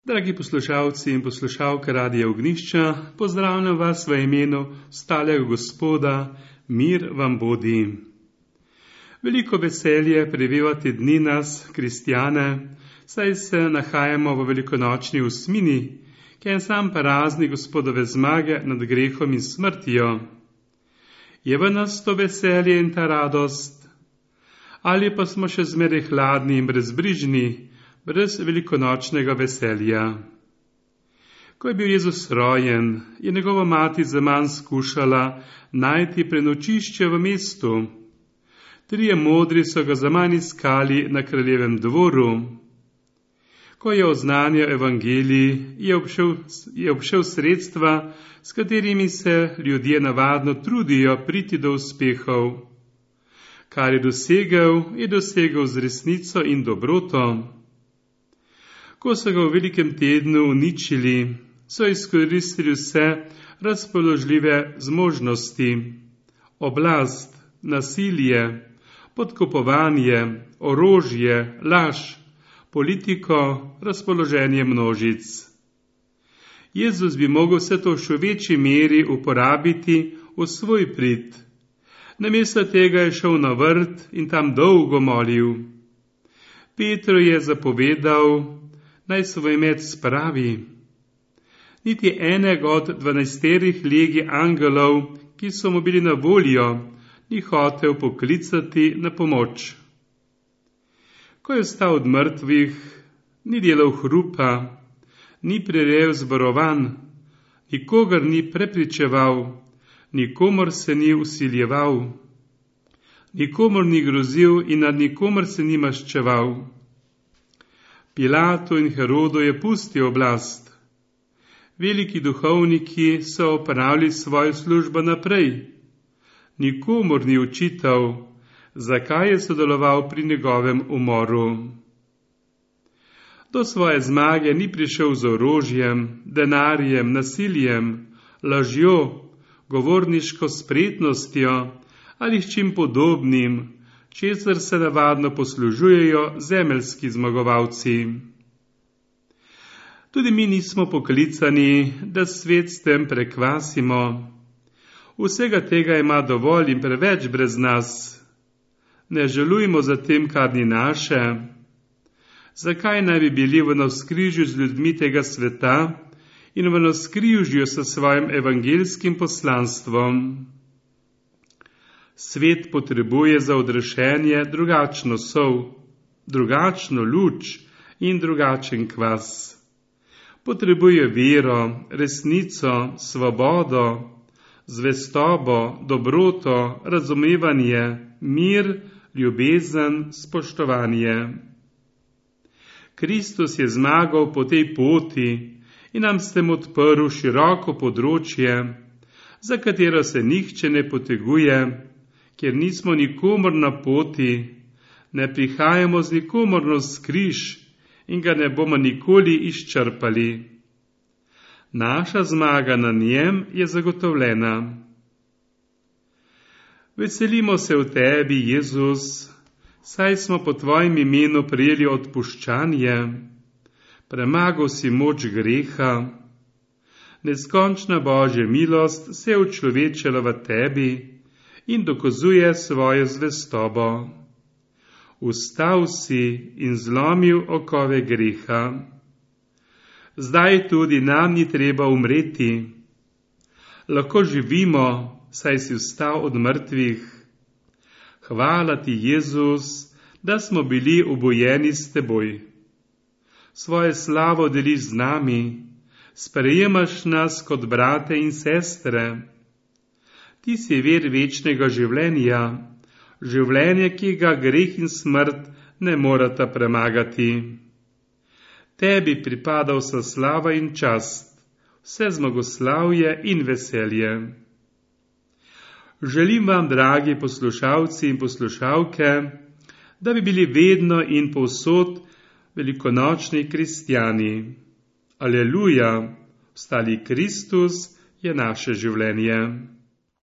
Dragi poslušalci in poslušalke Radia Ognjišča, pozdravljam vas v imenu stalega Gospoda, mir vam bodi. Veliko veselje prevevati dni nas, kristjane, saj se nahajamo v velikonočni osmini, ki je sam praznik Gospodove zmage nad grehom in smrtjo. Je v nas to veselje in ta radost? Ali pa smo še zmeraj hladni in brezbrižni, brez velikonočnega veselja? Ko je bil Jezus rojen, je njegova mati zaman skušala najti prenočišče v mestu. 3 modri so ga zaman iskali na kraljevem dvoru. Ko je oznanjal evangelij, je obšel sredstva, s katerimi se ljudje navadno trudijo priti do uspehov. Kar je dosegel z resnico in dobroto. Ko so ga v velikem tednu uničili, so izkoristili vse razpoložljive zmožnosti, oblast, nasilje, podkupovanje, orožje, laž, politiko, razpoloženje množic. Jezus bi mogel vse to v še večji meri uporabiti v svoj prid. Namesto tega je šel na vrt in tam dolgo molil. Petru je zapovedal, naj svoj met spravi. Niti enega od 12 legij angelov, ki so mu bili na voljo, ni hotel poklicati na pomoč. Ko je vstal od mrtvih, ni delal hrupa, ni prirejal zborovanj, nikogar ni prepričeval, nikomor se ni vsiljeval, nikomor ni grozil in nad nikomor se ni maščeval. Pilatu in Herodu je pustil oblast. Veliki duhovniki so opravili svojo službo naprej. Nikomor ni očital, zakaj je sodeloval pri njegovem umoru. Do svoje zmage ni prišel z orožjem, denarjem, nasiljem, lažjo, govorniško spretnostjo ali s čim podobnim, česar se navadno poslužujejo zemeljski zmagovalci. Tudi mi nismo poklicani, da svet s tem prekvasimo. Vsega tega ima dovolj in preveč brez nas. Ne želujmo za tem, kar ni naše. Zakaj naj bi bili v navzkrižju z ljudmi tega sveta in v navzkrižju s svojim evangeljskim poslanstvom? Svet potrebuje za odrešenje drugačno sol, drugačno luč in drugačen kvas. Potrebuje vero, resnico, svobodo, zvestobo, dobroto, razumevanje, mir, ljubezen, spoštovanje. Kristus je zmagal po tej poti in nam s tem odprl široko področje, za katero se nihče ne poteguje, ker nismo nikomor na poti, ne prihajamo z nikomor navzkriž in ga ne bomo nikoli izčrpali. Naša zmaga na njem je zagotovljena. Veselimo se v tebi, Jezus, saj smo po tvojem imenu prejeli odpuščanje, premagal si moč greha. Neskončna Božja milost se je učlovečila v tebi in dokazuje svojo zvestobo. Vstal si in zlomil okove greha. Zdaj tudi nam ni treba umreti. Lahko živimo, saj si vstal od mrtvih. Hvala ti, Jezus, da smo bili obojeni s teboj. Svojo slavo deliš z nami, sprejemaš nas kot brate in sestre. Ti si vir večnega življenja, življenje, ki ga greh in smrt ne morata premagati. Tebi pripada vsa slava in čast, vse zmagoslavje in veselje. Želim vam, dragi poslušalci in poslušalke, da bi bili vedno in povsod velikonočni kristjani. Aleluja, vstali Kristus je naše življenje.